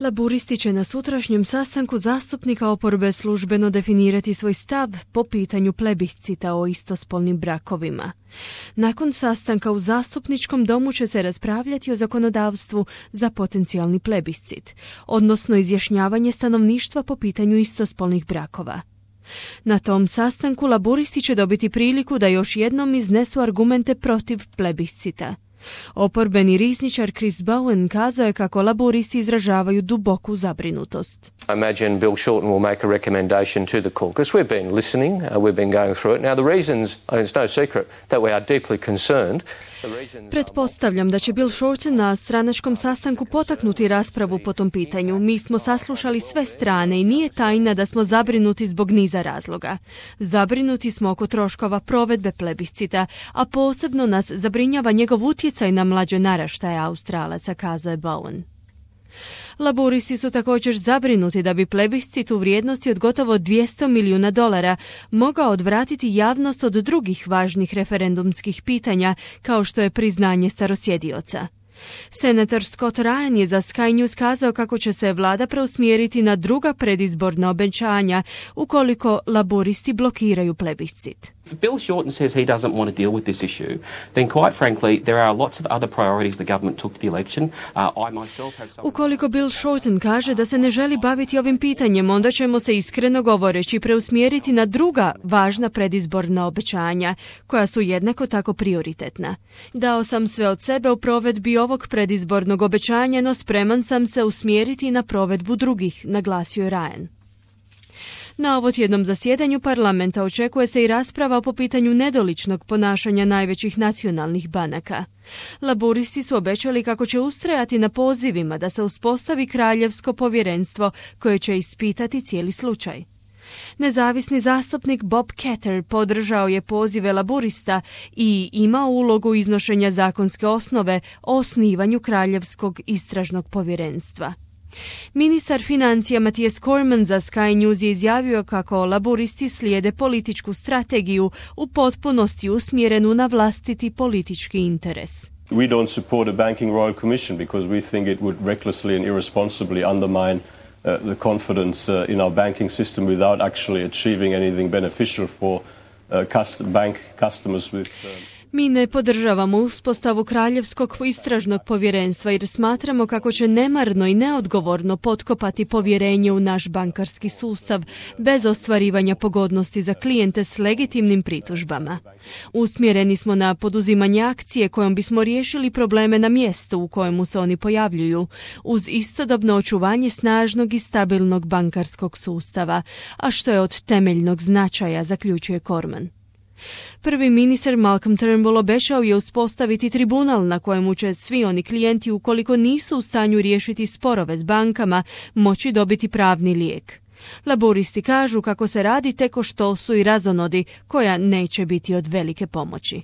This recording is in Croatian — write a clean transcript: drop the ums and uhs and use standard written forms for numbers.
Laburisti će na sutrašnjem sastanku zastupnika oporbe službeno definirati svoj stav po pitanju plebiscita o istospolnim brakovima. Nakon sastanka u zastupničkom domu će se raspravljati o zakonodavstvu za potencijalni plebiscit, odnosno izjašnjavanje stanovništva po pitanju istospolnih brakova. Na tom sastanku laburisti će dobiti priliku da još jednom iznesu argumente protiv plebiscita. Oporbeni rizničar Chris Bowen kazao je kako laburisti izražavaju duboku zabrinutost. I imagine Bill Shorten will make a recommendation to the caucus. We've been listening, we've been going through it. Now the reasons, it's no secret that we are deeply concerned. Pretpostavljam da će Bill Shorten na stranačkom sastanku potaknuti raspravu po tom pitanju. Mi smo saslušali sve strane i nije tajna da smo zabrinuti zbog niza razloga. Zabrinuti smo oko troškova provedbe plebiscita, a posebno nas zabrinjava njegov utjecaj na mlađe naraštaje Australaca, kazao je Bowen. Laburisti su također zabrinuti da bi plebiscit u vrijednosti od gotovo $200 milijuna mogao odvratiti javnost od drugih važnih referendumskih pitanja, kao što je priznanje starosjedioca. Senator Scott Ryan je za Sky News kazao kako će se vlada preusmjeriti na druga predizborna obećanja ukoliko laburisti blokiraju plebiscit. If Bill Shorten says he doesn't want to deal with this issue, then quite frankly there are lots of other priorities the government took to the election. I myself have some... Ukoliko Bill Shorten kaže da se ne želi baviti ovim pitanjem, onda ćemo se iskreno govoreći preusmjeriti na druga važna predizborna obećanja, koja su jednako tako prioritetna. Dao sam sve od sebe u provedbi ovog predizbornog obećanja, no spreman sam se usmjeriti na provedbu drugih, naglasio je Ryan. Na ovotjednom zasjedanju parlamenta očekuje se i rasprava po pitanju nedoličnog ponašanja najvećih nacionalnih banaka. Laburisti su obećali kako će ustrajati na pozivima da se uspostavi kraljevsko povjerenstvo koje će ispitati cijeli slučaj. Nezavisni zastupnik Bob Katter podržao je pozive laburista i imao ulogu iznošenja zakonske osnove o osnivanju kraljevskog istražnog povjerenstva. Ministar financija Matthias Cormann za Sky News je izjavio kako laburisti slijede političku strategiju u potpunosti usmjerenu na vlastiti politički interes. We don't support a banking royal commission because we think it would recklessly and irresponsibly undermine the confidence in our banking system without actually achieving anything beneficial for bank customers with Mi ne podržavamo uspostavu kraljevskog istražnog povjerenstva jer smatramo kako će nemarno i neodgovorno potkopati povjerenje u naš bankarski sustav bez ostvarivanja pogodnosti za klijente s legitimnim pritužbama. Usmjereni smo na poduzimanje akcije kojom bismo riješili probleme na mjestu u kojemu se oni pojavljuju, uz istodobno očuvanje snažnog i stabilnog bankarskog sustava, a što je od temeljnog značaja, zaključuje Cormann. Prvi ministar Malcolm Turnbull obećao je uspostaviti tribunal na kojemu će svi oni klijenti, ukoliko nisu u stanju riješiti sporove s bankama, moći dobiti pravni lijek. Laburisti kažu kako se radi tek o štosu i razonodi koja neće biti od velike pomoći.